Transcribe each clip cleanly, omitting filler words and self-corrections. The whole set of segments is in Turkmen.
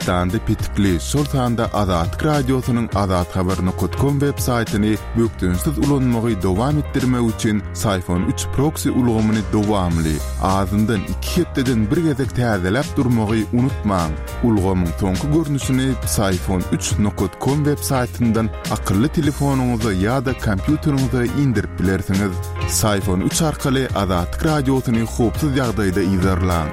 Türkmenistanda petikli, şol sanda Azatlyk Radiosynyň azathabar nokat kom web saýtyny bökdençsiz ulanmagy dowam etdirmek üçin Syfon üç proksi ulgamyny dowamly, azyndan iki hepdeden bir gezek täzeläp durmagy unutmaň. Ulgamyň soňky görnüşini Psiphon üç nokat kom web saýtyndan akylly telefonyňyza ýa-da kompýuteriňize indirip bilersiňiz. Psiphon üç arkaly Azatlyk Radiosyny howpsuz ýagdaýda yzarlaň.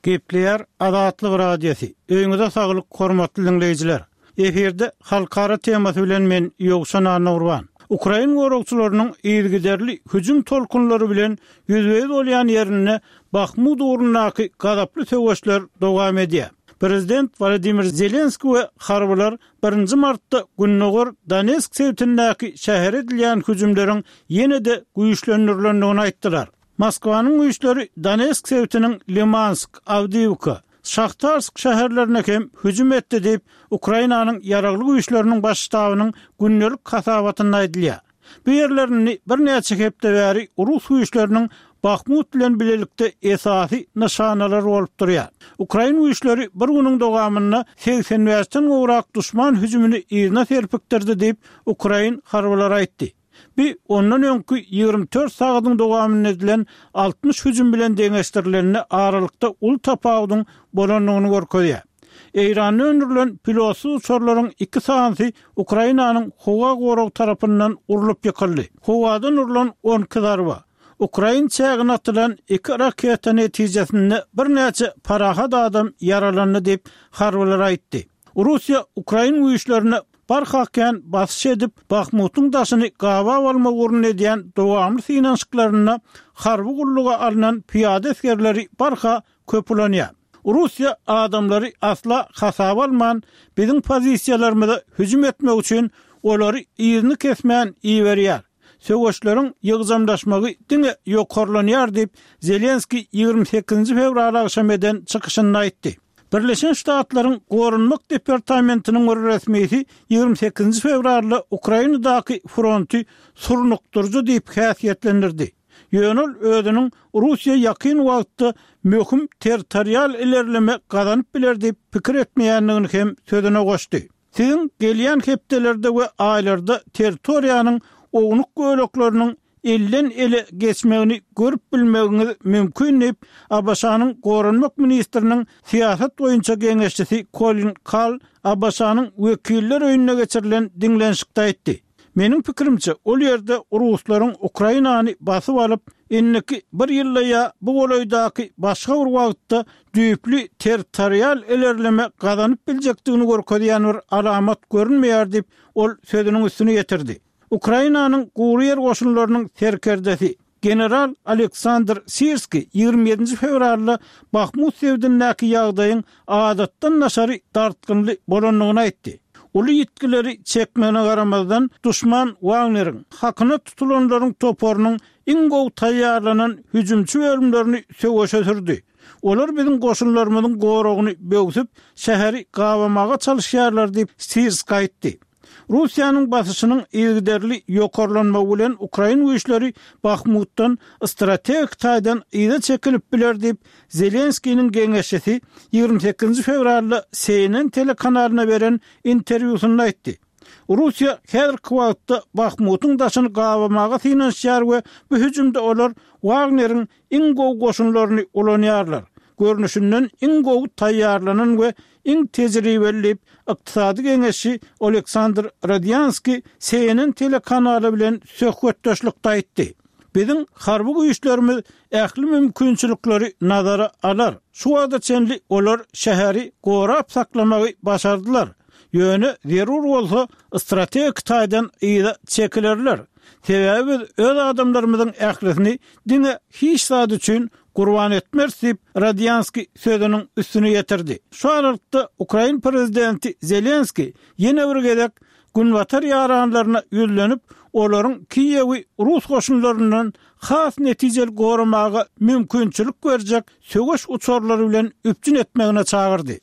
Gepleýär Azatlyk Radiosy. Öýüňize saglyk hormatly diňleýjiler. Efirde halkara temasy bilen men Ýowşan Annagurban. Ukrain goragçylarynyň yzygiderli hüjüm tolkunlary bilen ýüzbe-ýüz bolýan ýerinde Bahmut ugrundaky gazaply söweşler dowam edýär. Prezident Wolodymyr Zelenskiý we harbylar birinji martda gündogar Donetsk sebitindäki şähere edilýän hüjümleriň ýene-de güýçlendirilendigini aýtdylar. Moskwanyň güýçleri Donetsk sebitiniň Limansk, Awdiýwka, Şahtarsk şäherlerine hem hüjüm etdi diýip, Ukrainanyň Ýaragly Güýçleriniň Baş ştabynyň gündelik hasabatynda aýdylýar. Bu ýerler indi birnäçe hepde bäri rus güýçleriniň Bahmut bilen bilelikde esasy nyşanalary bolup durýar. Ukrain güýçleri bir günüň dowamynda 85-den gowrak duşman hüjümini yzyna serpikdirdi diýip, ukrain harbylary aýtdy. Bu ondan öňki 24 sagadyň dowamynda edilen 60 hüjüm bilen deňeşdirilende aralykda uly tapawudyň bolandygyny görkezýär. Eýranda öndürilen pilotsyz uçarlaryň iki sanysy Ukrainanyň howa goragy tarapyndan urlup ýykyldy. Howadan urlan 12 zarba, ukrain çägine atylan iki raketa netijesinde birnäçe parahat adam ýaralandy diýip, harbylar aýtdy. Russiýa ukrain güýçlerine Barha kän basyş edip, Bahmutyň daşyny gabap almak ugrunda edýän dowamly synanyşyklarynda harby gulluga alnan pyýada esgerleri barha köp ulanýar. Russiýa adamlary asla hasaba alman, biziň pozisiýalarymyza hüjüm etmek üçin olary yzyny kesmän iberýär. Söweşleriň ýygjamlaşmagy diňe ýokarlanýar diýip, Zelenskiý 28 fewral agşam eden çykyşynda aýtdy. Birleşen Ştatlaryň Goranmak departamentiniň bir resmisi 28 fewralda Ukrainadaky fronty surnukdyryjy diýip häsiýetlendirdi. Ýöne ol özüniň Russiýa ýakyn wagtda möhüm territorial ilerleme gazanyp biler diýip pikir etmeýändigini hem sözüne goşdy. Siziň gelýän hepdelerde we aýlarda territoriýanyň ownuk bölekleriniň elden-ele geçmegini görüp bilmegiňiz mümkin diýip, ABŞ-nyň Goranmak ministriniň syýasat boýunça geňeşçisi Kolin Kal ABŞ-nyň Wekiller öýünde geçirilen diňlenişikde aýtdy. Meniň pikirimçe, ol ýerde ruslaryň Ukrainany basyp alyp, indiki bir ýylda ýa bu golaýdaky başga bir wagtda düýpli territorial ilerleme gazanyp biljekdigini görkezýän bir alamat görünmeýär diýip, ol sözüniň üstüni ýetirdi. Ukrainanyň gury ýer goşunlarynyň serkerdesi, general Aleksandr Sirskiý 27-nji fewralda Bahmut sebitindäki ýagdaýyň adatdan daşary dartgynly bolandygyny aýtdy. Uly ýitgileri çekmegine garamazdan, duşman Wagneriň, hakyna tutulanlaryň toparynyň iň gowy taýýarlanan hüjümçi bölümlerini söweşe sürdi. Olar biziň goşunlarymyzyň goragyny böwsüp, şäheri gabamaga çalyşýarlar diýip, Sirskiý aýtdy. Russiýanyň basyşynyň yzygiderli ýokarlanmagy bilen ukrain güýçleri Bahmutdan strategik taýdan yza çekilip biler diýip, Zelenskiniň geňeşçisi 28 fewralda CNN telekanalyna beren interwýusynda aýtdy. Russiýa häzirki wagtda Bahmutyň daşyny gabamaga synanyşýar we bu hüjümde olar Wagneriň iň gowy goşunlaryny ulanýarlar. Görnüşinden iň gowy taýýarlanan we iň tejribeli diýip, ykdysady geňeşçi Oleksandr Rodýanskiý CNN telekanaly bilen söhbetdeşlikde aýtdy. Biziň harby güýçlerimiz ähli mümkinçilikleri nazara alar. Şu wagta çenli olar şäheri gorap saklamagy başardylar. Ýöne zerur bolsa strategik taýdan yza çekilerler. Sebäbi biz öz adamlarymyzyň ählisini diňe hiç zat üçin gurban etmeris diýip, Rodýanskiý sözüniň üstüni ýetirdi. Şu aralykda, ukrain prezidenti Zelenskiý ýene bir gezek Günbatar ýaranlaryna ýüzlenip, olaryň Kiýewi rus goşunlaryndan has netijeli goramaga mümkinçilik berjek söweş uçarlary bilen üpjün etmegine çagyrdy.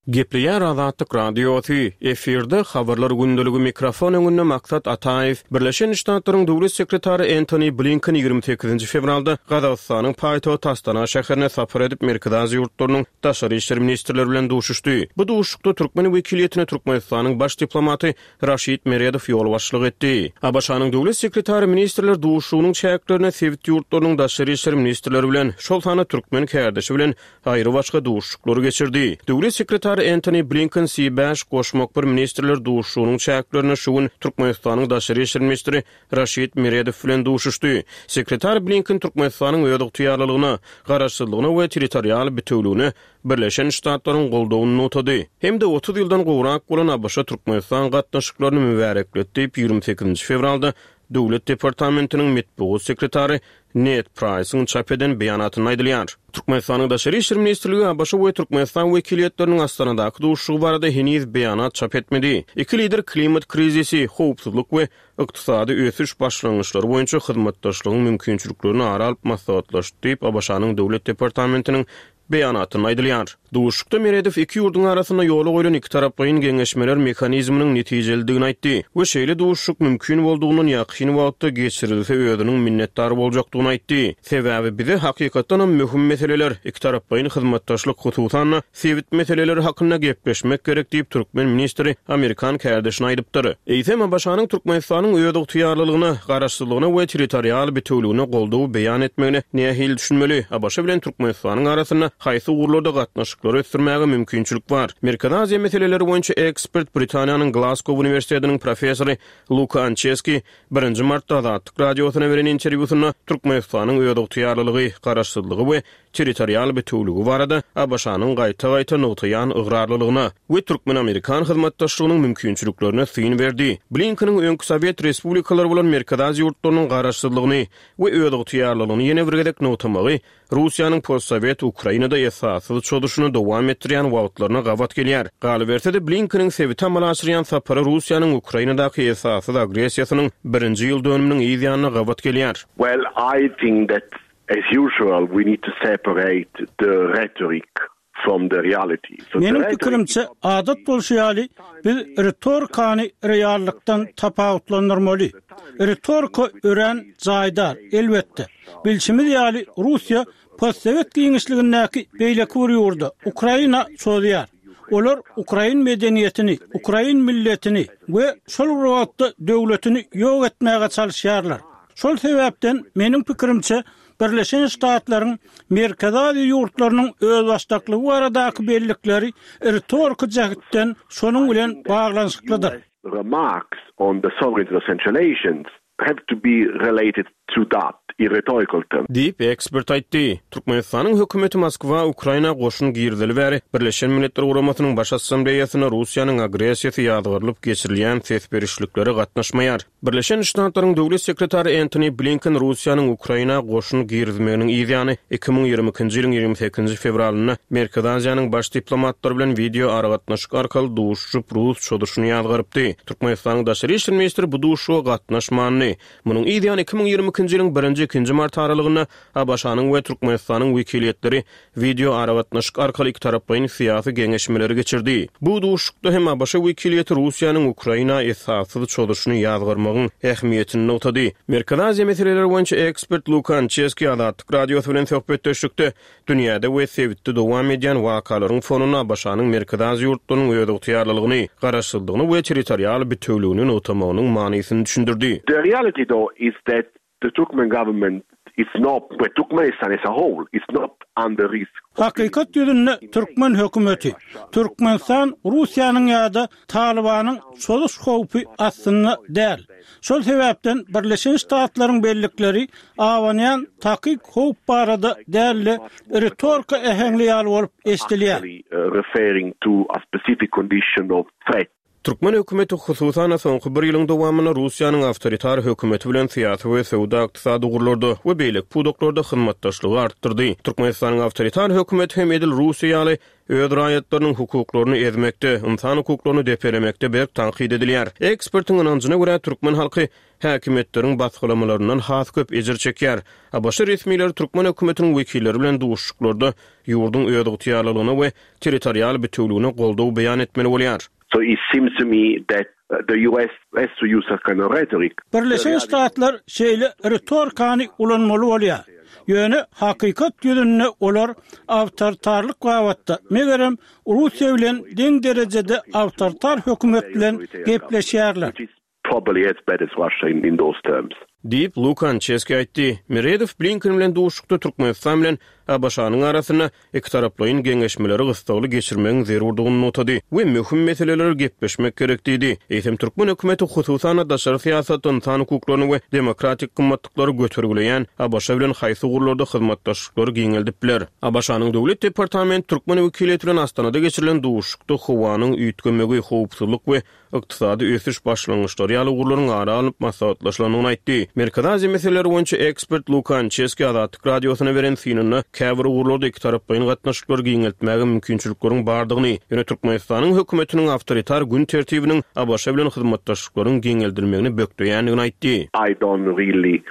Gepleýär Azatlyk Radiosy, efirde Habarlar gündeligi mikrofon öňünde Maksat Ataýew. Birleşen Ştatlaryň Döwlet sekretary Entoni Blinken 28-nji fewralda Gazagystanyň paýtagty Astana şäherine sapar edip Merkezi Aziýa ýurtlarynyň daşary işler ministrleri bilen duşuşdy. Bu duşuşykda türkmen wekiliýetine Türkmenistanyň baş diplomaty Raşid Meredow ýolbaşçylyk etdi. ABŞ-nyň Döwlet sekretary ministrler duşuşygynyň çäklerinde sebit ýurtlarynyň daşary işler ministrleri bilen, şol sanda türkmen kärdeşi bilen aýrybaşga duşuşyklary geçirdi. Döwlet sekretary Entoni Blinken C bäş goşmak bir ministrler duşuşygynyň çäklerinde şu gün Türkmenistanyň daşary işler ministri Raşid Meredow bilen duşuşdy. Sekretar Blinken Türkmenistanyň özygtyýarlylygyna, garaşsyzlygyna we territorial bitewligine Birleşen Ştatlaryň goldawyny nygtady hem-de 30 ýyldan gowrak bolan ABŞ-Türkmenistan gatnaşyklaryny mübärekledi diýip, 28-nji fewralda Döwlet departamentiniň metbugat sekretary Ned Praýsyň çap eden beýanatynda aýdylýar. Türkmenistanyň Daşary işler ministrligi ABŞ we Türkmenistan wekiliýetleriniň Astanadaky duşuşygy barada heniz beýanat çap etmedi. Iki lider klimat krizisi, howpsuzlyk we ykdysady ösüş başlangyçlary boýunça hyzmatdaşlygyň mümkinçiliklerini ara alyp maslahatlaşdy diýip, ABŞ-nyň Döwlet departamentiniň Beýanatynda aýdylýar. Duşuşykda Meredow iki ýurduň arasynda ýola goýlan ikitaraplaýyn geňeşmeler mehanizminiň netijelidigini aýtdy we şeýle duşuşyk mümkin boldugyndan ýakyn wagtda geçirilse özüniň minnetdar boljakdygyny aýtdy. Sebäbi bize hakykatdanam möhüm meseleler, ikitaraplaýyn hyzmatdaşlyk, hususan-da, sebit meseleleri hakynda gepleşmek gerek diýip, türkmen ministri amerikan kärdeşine aýdypdyr. Eýsem, ABŞ-nyň Türkmenistanyň özygtyýarlylygyna, garaşsyzlygyna we territorial bitewligine goldaw beýan etmegine nähili düşünmeli? ABŞ bilen Türkmenistanyň arasynda haýsy ugurlarda gatnaşyklary ösdürmäge mümkinçilik bar? Merkezi Aziýa meseleleri boýunça ekspert, Britaniýanyň Glasgow uniwersitetiniň professory Luka Ançeski birinji martda Azatlyk Radiosyna beren interwýusynda Türkmenistanyň özygtyýarlylygy, garaşsyzlygy we territorial bitewüligi barada ABŞ-nyň gaýta-gaýta nygtaýan ygrarlylygyna we türkmen-amerikan hyzmatdaşlygynyň mümkinçiliklerine syn berdi. Blinkeniň öňki sowet respublikalary bolan Merkezi Aziýa ýurtlarynyň garaşsyzlygyny we özygtyýarlylygyny ýene bir gezek nygtamagy Russiýanyň postsowet Ukrainada esassyz çozuşyny dowam etdirýän wagtlaryna gabat gelýär. Galyberse-de, Blinkeniň sebite amala aşyrýan sapary Russiýanyň Ukrainadaky esassyz agressiýasynyň birinji ýyl dönüminiň yz ýanyna gabat gelýär. Well, I think that As usual, we need to separate the rhetoric from the reality. So the Meniň rhetoric pikirimçe, adat bolşy ýaly, biz ritorikany reallykdan tapawutlandyrmaly. Ritorika örän jaýdar, elbetde. Bilşimiz ýaly, Russiýa postsowet giňişligindäki beýleki bir ýurda, Ukraina çozýar. Olar ukrain medeniýetini, ukrain milletini we şol bir wagtda döwletini ýok etmäge çalyşýarlar. Şol sebäpden, meniň pikirimçe, Birleşen Ştatlaryň Merkezi Aziýa ýurtlarynyň özbaşdaklygy baradaky bellikleri ritoriki jähtden şonuň bilen baglanyşyklydyr. Remarks on the sovereignty of Central Asians have to be related to that in rhetorical terms. Diýip, ekspert aýtdy. Türkmenistanyň hökümeti Moskwa Ukraina goşun girizeli bäri Birleşen Milletler Guramasynyň Baş Assambleýasynda Russiýanyň agressiýasy ýazgarylyp geçirilýän ses berişliklere gatnaşmaýar. Birleşen Ştatlaryň Döwlet sekretary Entoni Blinken Russiýanyň Ukraina goşun girizmeginiň yz ýany, 2022-nji ýylyň 28-nji fewralynda Merkezi Aziýanyň baş diplomatlary bilen wideo aragatnaşyk arkaly duşuşyp, rus çozuşyny ýazgarypdy. Türkmenistanyň daşary işler ministri bu duşuşyga gatnaşmandy. Munuň yz ýany 2022-nji ýylyň birinji-ikinji mart aralygynda ABŞ-nyň we Türkmenistanyň wekiliýetleri wideo aragatnaşyk arkaly ikitaraplaýyn syýasy geňeşmeleri geçirdi. Bu duşuşykda hem ABŞ wekiliýeti Russiýanyň Ukraina esassyz çozuşyny ýazgarmagyň ähmiýetini nygtady. Merkezi Aziýa meseleleri boýunça ekspert Luka Ançeski Azatlyk Radiosy bilen söhbetdeşlikde dünýäde we sebitde dowam edýän wakalaryň fonunda ABŞ-nyň Merkezi Aziýa ýurtlarynyň özygtyýarlylygyny, garaşsyzlygyny we territorial bitewüligini nygtamagynyň manysyny düşündirdi. The reality though is that The Turkmen government is not, well Turkmenistan as a whole is not under risk. Hakykat ýüzünde türkmen hökümeti, Türkmenistan Russiýanyň ýa-da Talybanyň çozuş howpy astynda däl. Şol sebäpden Birleşen Ştatlaryň bellikleri abanýan takyk howp barada däl-de, ritorika äheňli ýaly bolup eşidilýär. Referring to a specific condition of threat. Türkmen hökümeti, hususan-da, soňky bir ýylyň dowamynda Russiýanyň awtoritar hökümeti bilen syýasy we söwda-ykdysady ugurlarda we beýleki pudaklarda hyzmatdaşlygy artdyrdy. Türkmenistanyň awtoritar hökümeti hem edil Russiýa ýaly öz raýatlarynyň hukuklaryny ezmekde, ynsan hukuklaryny depelemekde berk tankyt edilýär. Ekspertiň ynanjyna görä, türkmen halky häkimiýetleriň basgylamalaryndan has köp ejir çekýär. ABŞ resmileri türkmen hökümetiniň wekilleri bilen duşuşyklarda ýurduň özygtyýarlylygyna we territorial bitewüligine goldaw beýan etmeli bolýar. So it seems to me that the US has to use a kind of rhetoric. Birleşen Ştatlar şeýle ritorikany ulanmaly bolýar. Ýöne hakykat ýüzünde olar awtoritarlyk babatda, megerem, Russiýa bilen deň derejede awtoritar hökümet bilen gepleşýärler. Probably as bad as Russia in those terms. Diýip, Luka Ançeski aýtdy. Meredow Blinken bilen duşuşykda Türkmenistan bilen ABŞ-nyň arasynda ikitaraplaýyn geňeşmeleri gyssagly geçirmegiň zerurdygyny nygtady we möhüm meseleleri gepleşmek gerek diýdi. Eýsem, türkmen hökümeti, hususan-da, daşary syýasatda ynsan hukuklaryny we demokratik gymmatlyklary götergileýän ABŞ bilen haýsy ugurlarda hyzmatdaşlyklary giňeldip biler? ABŞ-nyň Döwlet departamenti türkmen wekiliýeti bilen Astanada geçirilen duşuşykda howanyň üýtgemegi, howpsuzlyk we ykdysady ösüş başlangyçlary ýaly ugurlaryň ara alnyp maslahatlaşylandygyny aýtdy. Merkezi Aziýa meseleleri boýunça ekspert Luka Ançeski Azatlyk Radiosyna beren synynda käbir ugurlarda ikitaraplaýyn gatnaşyklary giňeltmäge mümkinçilikleriň bardygyny, ýöne Türkmenistanyň hökümetiniň awtoritar gün tertibiniň ABŞ bilen hyzmatdaşlyklaryň giňeldilmegini bökdeýändigini aýtdy. I don't really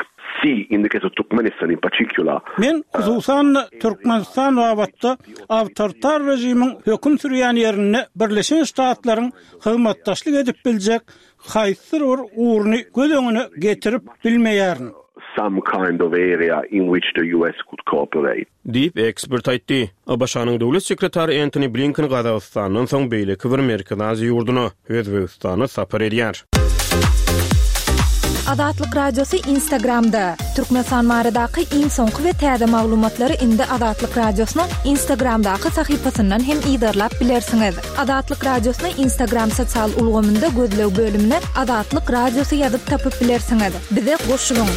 see in the case of Turkmenistan in particular. Men, hususan-da, Türkmenistan babatda awtoritar režimiň höküm sürýän ýerinde Birleşen Ştatlaryň hyzmatdaşlyk edip biljek haýsydyr bir ugruny göz öňüne getirip bilmeýärin. Some kind of area in which the US could cooperate. Diýip, ekspert aýtdy. ABŞ-nyň döwlet sekretary Entoni Blinken Gazagystandan soň beýleki bir Merkezi Aziýa ýurduna, Özbegistana sapar edýär. Azatlyk Radiosy Instagramda, Türkmenistan baradaky iň soňky we täze maglumatlary indi Azatlyk Radiosynyň Instagramdaky sahypasyndan hem yzarlap bilersiňiz. Azatlyk Radiosyny Instagram sosial ulgamynda gözleg bölümine Azatlyk Radiosy ýazyp tapyp bilersiňiz. Bize goşulyň!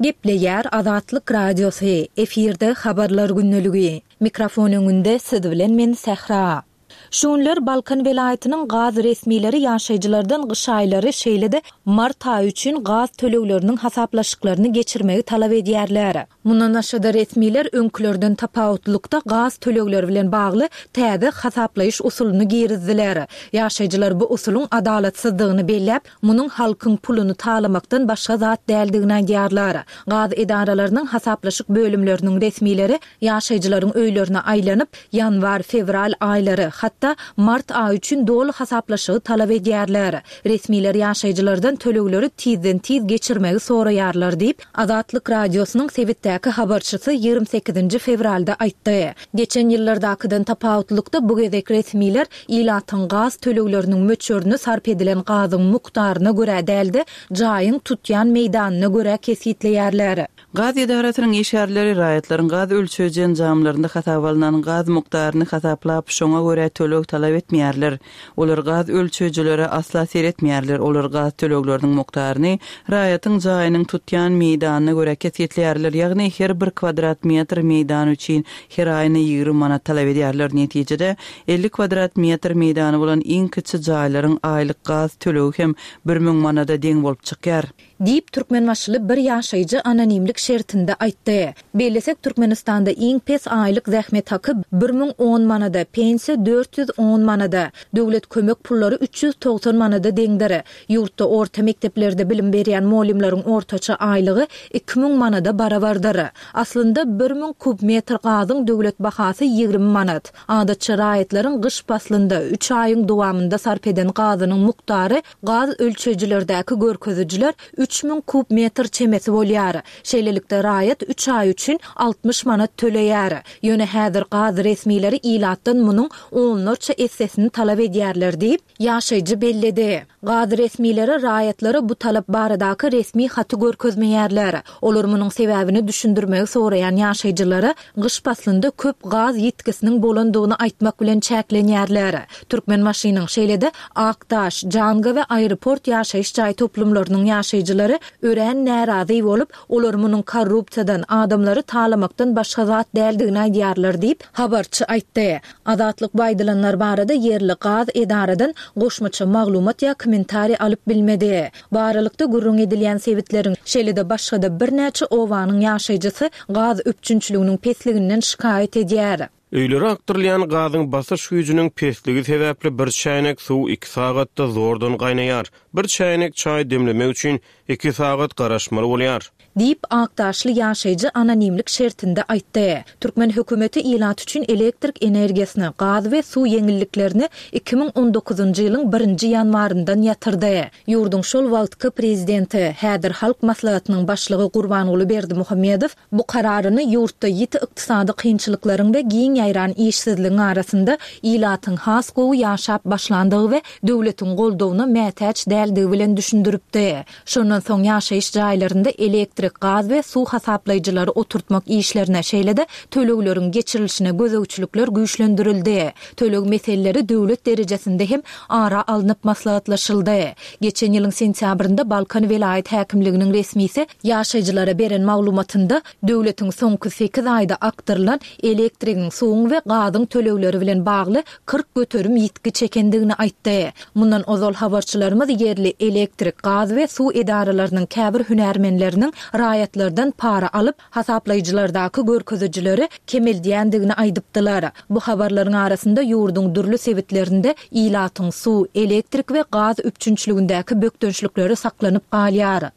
Gepleýär Azatlyk Radiosy, efirde Habarlar gündeligi. Mikrofon öňünde siz bilen men Sähra. Şu günler Balkan welaýatynyň gaz resmileri ýaşaýjylardan gyş aýlary, şeýle-de mart aýy üçin gaz tölegleriniň hasaplaşyklaryny geçirmegi talap edýärler. Mundan başga-da resmiler öňkülerden tapawutlykda gaz tölegleri bilen bagly täze hasaplaýyş usulyny girizdiler. Ýaşaýjylar bu usulyň adalatsyzdygyny belläp, munuň halkyň puluny talamakdan başga zat däldigini aýdýarlar. Gaz edaralarynyň hasaplaşyk bölümleriniň resmileri ýaşaýjylaryň öýlerine aýlanyp, ýanwar, fewral aýlary, hatda mart aýy üçin doly hasaplaşygy talap edýärler. Resmiler ýaşaýjylardan tölegleri tizden-tiz geçirmegi soraýarlar diýip, Azatlyk Radiosynyň sebitdäki habarçysy 28-nji fewralda aýtdy. Geçen ýyllardakydan tapawutlykda bu gezek resmiler ilatyň gaz tölegleriniň möçberini sarp edilen gazyň mukdaryna görä däl-de, jaýyň tutýan meýdanyna görä kesgitleýärler. Gaz edarasynyň işgärleri raýatlaryň gaz ölçeýji enjamlarynda hasaba alnan gaz mukdaryny hasaplap, şoňa görä töleg talap etmeýärler. Olar gaz ölçeýjilere asla seretmeýärler, olar gaz tölegleriniň mukdaryny raýatyň jaýynyň tutýan meýdanyna görä kesgitleýärler, ýagny her bir kwadrat metr meýdan üçin her aýyna 20 manat talap edýärler. Netijede, 50 kwadrat metr meýdany bolan iň kiçi jaýlaryň aýlyk gaz tölegi hem 1000 manada deň bolup çykýar. Diýip, türkmenbaşyly bir ýaşaýjy anonimlik şertinde aýtdy. Bellesek, Türkmenistanda iň pes aýlyk zähmet haky 1010 manada, pensiýa 410 manada, döwlet kömek pullary 390 manada deňdir. Ýurtda orta mekdeplerde bilim berýän mugallymlaryň ortaça aýlygy 2000 manada barabardyr. Aslynda, 1000 kub metr gazyň döwlet bahasy 20 manat. Adatça raýatlaryň gyş paslynda, üç aýyň dowamynda sarp eden gazynyň mukdary Gaz ölçeýjilerdäki görkezijiler 3000 kub metr çemesi bolýar. Şeýlelikde, raýat üç aý üçin 60 manat töleýär. Ýöne häzir gaz resmileri ilatdan munuň onlarça essesini talap edýärler diýip, ýaşaýjy belledi. Gaz resmileri raýatlara bu talap baradaky resmi haty görkezmeýärler. Olar munuň sebäbini düşündirmegi soraýan ýaşaýjylara gyş paslynda köp gaz ýitgisiniň bolandygyny aýtmak bilen çäklenýärler. Türkmenbaşynyň, şeýle-de Akdaş, Janga we Aeroport ýaşaýyş jaý toplumlarynyň ýaşaýjylary. ýaşaýjylary örän närazy bolup, olar munuň korrupsiýadan, adamlary talamakdan başga zat däldigini aýdýarlar diýip, habarçy aýtdy. Azatlyk bu aýdylanlar barada ýerli gaz edaradan goşmaça maglumat ýa kommentariý alyp bilmedi. Bu aralykda, gürrüň edilýän sebitleriň, şeýle-de başga-da birnäçe obanyň ýaşaýjysy gaz üpjünçiliginiň pesliginden şikaýat edýär. Öýlere akdyrylýan gazyň basyş güýjüniň pesligi sebäpli bir çäýnek suw iki sagatda zordan gaýnaýar. Bir çäýnek çaý demlemek üçin iki sagat garaşmaly bolýar. Diýip, akdaşly ýaşaýjy anonimlik şertinde aýtdy. Türkmen hökümeti ilat üçin elektrik energiýasyny, gaz we suw ýeňilliklerini 2019-njy ýylyň birinji ýanwaryndan ýatyrdy. Ýurduň şol wagtky prezidenti, häzir Halk Maslahatynyň başlygy Gurbanguly Berdimuhamedow Bu kararyny ýurtda ýiti ykdysady kynçylyklaryň we giň ýaýran işsizligiň arasynda ilatyň has gowy ýaşap başlandygy we döwletiň goldawyna mätäç däldigi bilen düşündiripdi. Şondan soň ýaşaýyş jaýlarynda elektrik, gaz we suw hasaplaýjylary oturtmak işlerine, şeýle-de tölegleriň geçirilişine gözegçilikler güýçlendirildi. Töleg meseleleri döwlet derejesinde hem ara alnyp maslahatlaşyldy. Geçen ýylyň sentýabrynda Balkan welaýat häkimliginiň resmisi ýaşaýjylara beren maglumatynda, döwletiň soňky sekiz aýda akdyrylan elektrigiň, suwuň we gazyň tölegleri bilen bagly 40% ýitgi çekendigini aýtdy. Mundan ozal habarçylarymyz ýerli elektrik, gaz we suw edaralarynyň käbir hünärmenleriniň raýatlardan para alyp, hasaplaýjylardaky görkezijileri kemeldýändigini aýdypdylar. Bu habarlaryň arasynda ýurduň dürli sebitlerinde ilatyň suw, elektrik we gaz üpjünçiligindäki bökdençlikleri saklanyp galýar.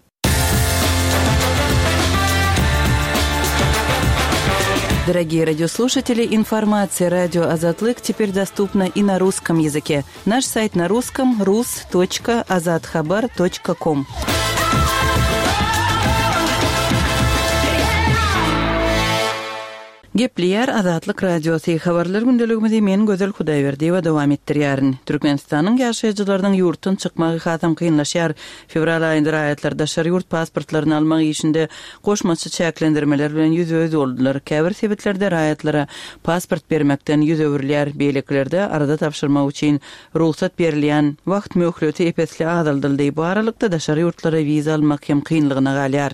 Дорогие радиослушатели, информация радио Азатлык теперь доступна и на русском языке. Наш сайт на русском rus.azathabar.com. Gepleýär Azatlyk Radiosy, Habarlar gündeligimizi men Gözel Hudaýberdiýewa dowam etdirýärin. Türkmenistanyň ýaşaýjylarynyň ýurtdan çykmagy hasam kynlaşýar. Fewral aýynda raýatlar daşary ýurt pasportlaryny almak işinde goşmaça çäklendirmeler bilen ýüzbe-ýüz boldular. Käbir sebitlerde raýatlara pasport bermekden ýüz öwrülýär, beýlekilerde arza tabşyrmak üçin rugsat berilýän wagt möhleti ep-esli azaldyldy. Bu aralykda daşary ýurtlara wiza almak hem kynlygyna galýar.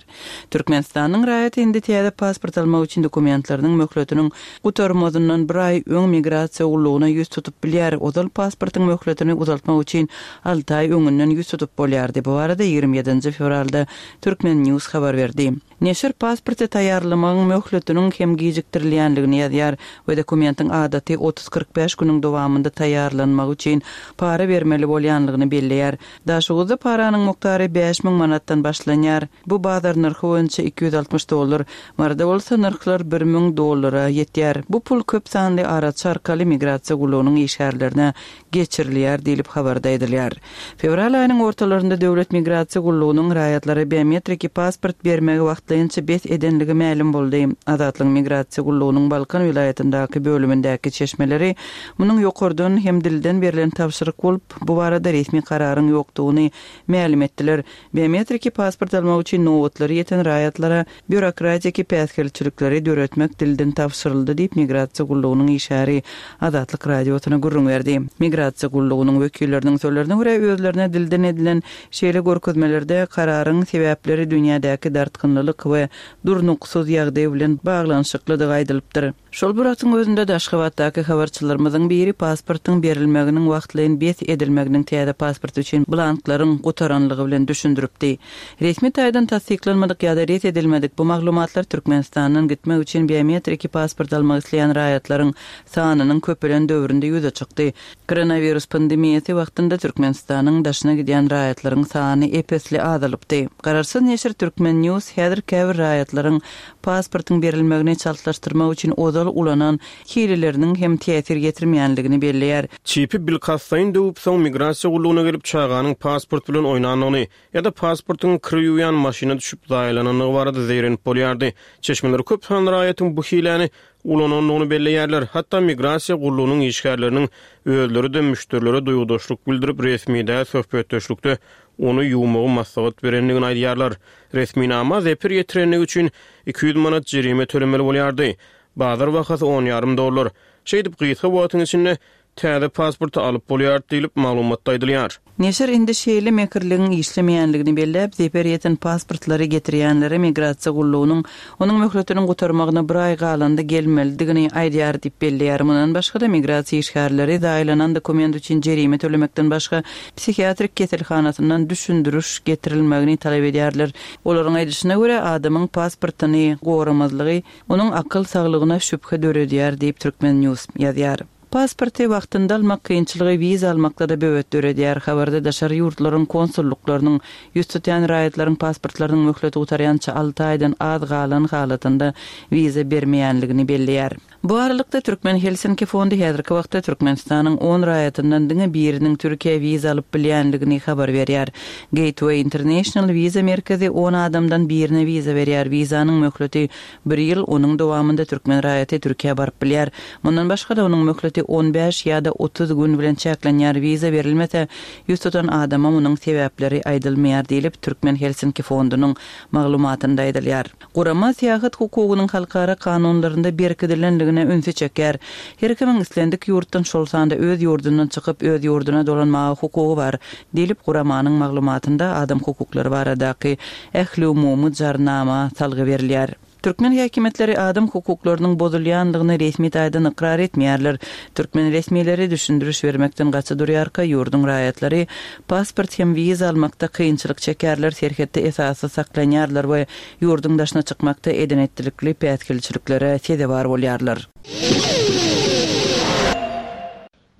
Türkmenistanyň raýaty indi täze pasport almak üçin dokumentleriniň möhletiniň gutarmazyndan bir aý öň migrasiýa gullugyna ýüz tutup bilýär. Ozal pasportyň möhletini uzaltmak üçin alty aý öňünden ýüz tutup bolýardy. Bu barada 27 nji fewralda Turkmen. News habar berdi. Neşir pasporty taýýarlamagyň möhletiniň hem gijikdirilýändigini ýazýar we dokumentiň adaty otuz-kyrk bäş günüň dowamynda taýýarlanmagy üçin para bermeli bolýanlygyny belleýär. Daşoguzda paranyň mukdary 5000 manatdan başlanýar. Bu bazar nyrhy boýunça 260 dollar. Maryda bolsa nyrhlar 1000 dollara ýetýär. Bu pul köp sanly araçy arkaly migrasiýa gullugynyň işgärlerine geçirilýär diýlip, habarda aýdylýar. Fewral aýynyň ortalarynda Döwlet migrasiýa gullugynyň raýatlara biometriki pasport bermegi wagtlaýynça bes edenligi mälim boldy. Azatlygyň migrasiýa gullugynyň Balkan welaýatyndaky bölümindäki çeşmeleri munuň ýokardan hem dilden berlen tabşyryk bolup, bu barada resmi kararyň ýokdugyny mälim etdiler. Biometriki pasport almak üçin nobatlary ýeten raýatlara býurokratiki päsgelçilikleri döretmek dilden tabşyryldy diýip, migrasiýa gullugynyň işgäri Azatlyk Radiosyna gürrüň berdi. Migrasiýa gullugynyň wekilleriniň sözlerine görä, özlerine dilden edilen şeýle görkezmelerde kararyň sebäpleri dünýädäki dartgynlylyk we durnuksyz ýagdaý bilen baglanyşyklydygy aýdylypdyr. Şol bir wagtyň özünde-de, Aşgabatdaky habarçylarymyzyň biri pasportyň berilmeginiň wagtlaýyn bes edilmeginiň täze pasport üçin blanklaryň gutaranlygy bilen düşündiripdi. Resmi taýdan tassyklanmadyk ýa-da ret edilmedik bu maglumatlar Türkmenistandan gitmek üçin biometriki pasport almak isleýän raýatlaryň sanynyň köpelen döwründe ýüze çykdy. Koronawirus pandemiýasy wagtynda Türkmenistanyň daşyna gidýän raýatlaryň sany ep-esli azalypdy. Garaşsyz neşir Turkmen News häzir käbir raýatlaryň pasportyň berilmegini çaltlaşdyrmak üçin ozal ulanan hileleriniň hem täsir ýetirmeýänligini belleýär. Çipi bilkastlaýyn döwüp, soň migrasiýa gullugyna gelip çaganyň pasport bilen oýnandygyny ýa-da pasportyň kir ýuwýan maşyna düşüp zaýalanandygy barada zeýrenip bolýardy. Çeşmeler köp sanly raýatyň bu hiläni ulanandygyny belleýärler. Hatda migrasiýa gullugynyň işgärleriniň özleri-de müşderilere duýgudaşlyk bildirip, resmi däl söhbetdeşlikde ony ýuwmagy maslahat berendigini aýdýarlar. Resminama zeper ýetirenligi üçin 200 manat jerime tölemeli bolýardy. Bazar bahasy on ýarym dollar. Şeýdip, gysga wagtyň içinde täze pasporty alyp bolýardy diýlip, maglumatda aýdylýar. Neşir indi şeýle mekirligiň işlemeýänligini belläp, zeper ýeten pasportlary getirýänlere migrasiýa gullugynyň onuň möhletiniň gutarmagyna bir aý galanda gelmelidigini aýdýar diýip belleýär. Mundan başga-da, migrasiýa işgärleri zaýalanan dokument üçin jerime tölemekden başga, psihiatrik keselhanasyndan düşündiriş getirilmegini talap edýärler. Olaryň aýdyşyna görä, adamyň pasportyny goramazlygy onuň akyl saglygyna şübhe döredýär diýip, Turkmen. News ýazýar. Pasporty wagtynda almak kynçylygy wiza almakda-da böwet döredýär. Habarda daşary ýurtlaryň konsullyklarynyň ýüz tutýan raýatlaryň pasportlarynyň möhleti gutarýança alty aýdan az galan halatynda wiza bermeýänligini belleýär. Bu aralykda, Türkmen Helsinki fondy häzirki wagtda Türkmenistanyň on raýatyndan diňe biriniň Türkiýä wiza alyp bilýänligini habar berýär. Gateway International wiza merkezi on adamdan birine wiza berýär. Wizanyň möhleti Bir ýyl, onuň dowamynda türkmen raýaty Türkiýä baryp bilýär. Mundan başga-da, onuň möhleti on bäş ýa-da 30 gün bilen çäklenýär, wiza berilmese, ýüz tutan adama munuň sebäpleri aýdylmaýar diýlip, Türkmen Helsinki fondunyň maglumatynda aýdylýar. Gurama syýahat hukugynyň halkara kanunlarynda berkidilendigine ünsi çekýär. Her kimiň islendik ýurtdan, şol sanda öz ýurdundan çykyp, öz ýurduna dolanmaga hukugy bar, diýlip, guramanyň maglumatynda adam hukuklary baradaky Ähliumumy Jarnama salgy berilýär. Türkmen häkimiýetleri adam hukuklarynyň bozulýandygyny resmi taýdan ykrar etmeýärler. Türkmen resmileri düşündiriş bermekden gaça durýarka, ýurduň raýatlary pasport hem wiza almakda kynçylyk çekýärler, serhetde esassyz saklanýarlar we ýurduň daşyna çykmakda eden-etdilikli päsgelçiliklere sezewar bolýarlar.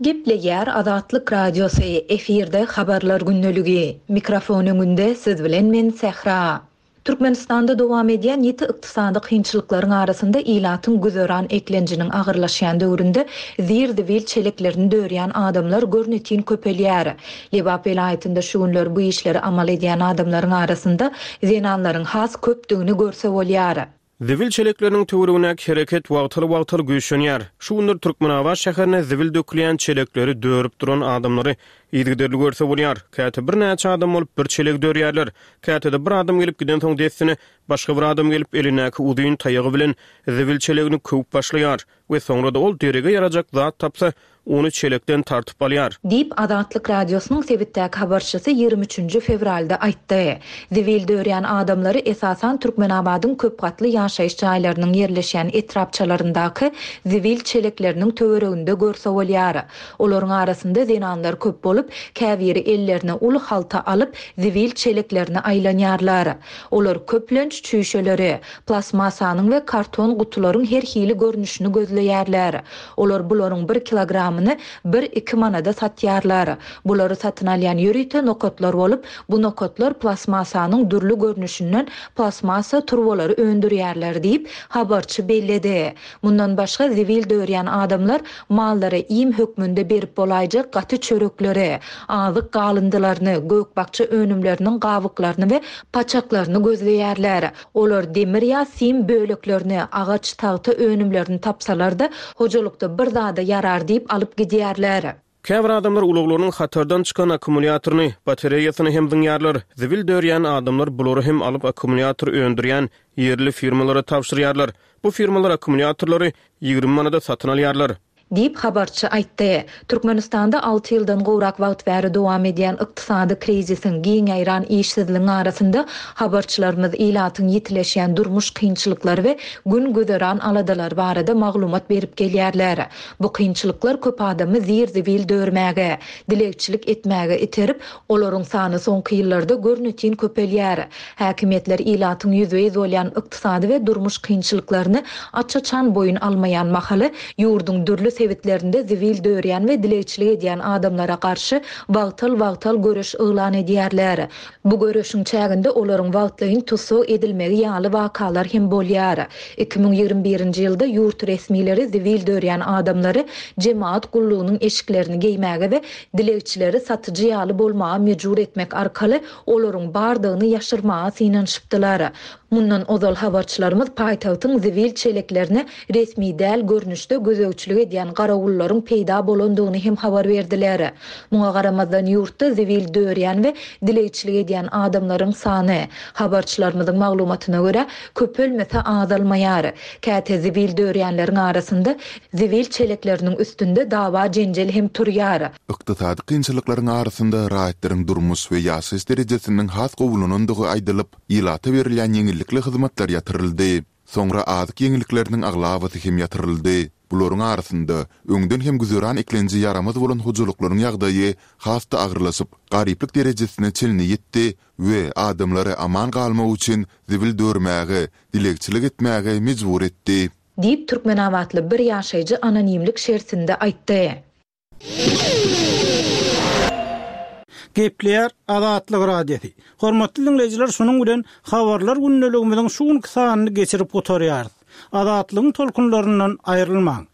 Gepleýär Azatlyk Radiosy, efirde Habarlar gündeligi. Mikrofon öňünde siz bilen men Sähra. Türkmenistanda dowam edýän ýiti ykdysady kynçylyklaryň arasynda ilatyň güzeran eklenjiniň agyrlaşýan döwründe zir-zibil çeleklerini dörýän adamlar görnetin köpelýär. Lebap welaýatynda şu günler bu işleri amal edýän adamlaryň arasynda zenanlaryň has köpdügini görse bolýar. Zibil çelekleriniň töweregindäki hereket wagtal-wagtal güýçlenýär. Şu günler Türkmenabat şäherinde zibil dökülýän çelekleri dörüp duran adamlary yzygiderli görse bolýar. Käte birnäçe adam bolup bir çelegi dörýärler. Käte-de bir adam gelip gidensoň dessine başga bir adam gelip elindäki uzyn taýagy bilen zibil çelegini köwüp başlaýar we soňra-da ol derege ýarajak zat tapsa ony çelekden tartyp alýar. Diýip, Azatlyk Radiosynyň sebitdäki habarçysy ýigrimi üçünji fewralda aýtdy. Zibil dörýän adamlary esasan Türkmenabadyň köp gatly ýaşaýyş jaýlarynyň ýerleşýän etrapçalaryndaky zibil çelekleriniň töwereginde görse bolýar. Olaryň arasynda zenanlar köp bolup, käbiri ellerine uly halta alyp, zibil çeleklerine aýlanýarlar. Olar köplenç çüýşeleri, plastmassanyň we karton gutularyň her hili görnüşini gözleýärler. Olar bularyň bir kilogramyny bir-iki manada satýarlar. Bulary satyn alýan ýörite nokatlar bolup, bu nokatlar plastmassanyň dürli görnüşinden plastmassa turbalary öndürýärler diýip, habarçy belledi. Mundan başga, zibil dörýän adamlar mallara iým hökmünde berip bolaýjak gaty çörekleri, azyk galyndylaryny, gök-bakja önümleriniň gabyklaryny we paçaklaryny gözleýärler. Olar demir ýa sim böleklerini, agaç, tagta önümlerini tapsalar-da, hojalykda bir zada ýarar diýip alyp gidýärler. Käbir adamlar ulaglarynyň hatardan çykan akkumulýatoryny, batareýasyny hem zyňýarlar. Zibil dörýän adamlar bulary hem alyp akkumulýator öndürýän ýerli firmalara tabşyrýarlar. Bu firmalar akkumulýatorlary 20 manada satyn alýarlar. Diýip, habarçy aýtdy. Türkmenistanda alty ýyldan gowrak wagt bäri dowam edýän ykdysady krizisiň, giň ýaýran işsizligiň arasynda habarçylarymyz ilatyň ýitileşýän durmuş kynçylyklary we gün-güzeran aladalary barada maglumat berip gelýärler. Bu kynçylyklar köp adamy zir-zibil dörmäge, dilegçilik etmäge iterip, Olaryň sany soňky ýyllarda görnetin köpelýär. Häkimiýetler ilatyň ýüzbe-ýüz bolýan ykdysady we durmuş kynçylyklaryny aç-açan boýun almaýan mahaly, ýurduň dürli sebitlerinde zibil dörýän we dilegçilik edýän adamlara garşy wagtal-wagtal göreş yglan edýärler. Bu göreşiň çäginde olaryň wagtlaýyn tussag edilmegi ýaly wakalar hem bolýar. 2021-nji ýylda ýurt resmileri zibil dörýän adamlary jemagat gullugynyň eşiklerini geýmäge we Dilegçileri satyjy ýaly bolmaga mejbur etmek arkaly olaryň bardygyny ýaşyrmaga synanyşypdylar. Mundan ozal habarçylarymyz paýtagtyň zibil çeleklerine resmi däl görnüşde gözegçilik edýän garawullaryň peýda bolandygyny hem habar berdiler. Muňa garamazdan, ýurtda zibil dörýän we dilegçilik edýän adamlaryň sany, habarçylarymyzyň maglumatyna görä, köpelmese azalmaýar. Käte zibil dörýänleriň arasynda zibil çelekleriniň üstünde dawa-jenjel hem turýar. Ykdysady kynçylyklaryň arasynda raýatlaryň durmuş we ýaşaýyş derejesiniň has gowulanandygy aýdylyp, ilata berilýän ýeňillikli hyzmatlar ýatyryldy. Soňra azyk ýeňillikleriniň aglabasy hem ýatyryldy. Bularyň arasynda, öňden hem güzeran eklenji ýaramaz bolan hojalyklaryň ýagdaýy has-da agyrlaşyp, garyplyk derejesine çenli ýetdi we adamlary aman galmak üçin zibil dörmäge, dilegçilik etmäge mejbur etdi. Diýip, türkmenabatly bir ýaşaýjy anonimlik şertinde aýtdy. Gepleýär Azatlyk Radiosy. Hormatly diňleýjiler şunuň bilen Habarlar gündeligimiziň şu günki sanyny geçirip gutarýarys. Azatlygyň tolkunlaryndan aýrylmaň.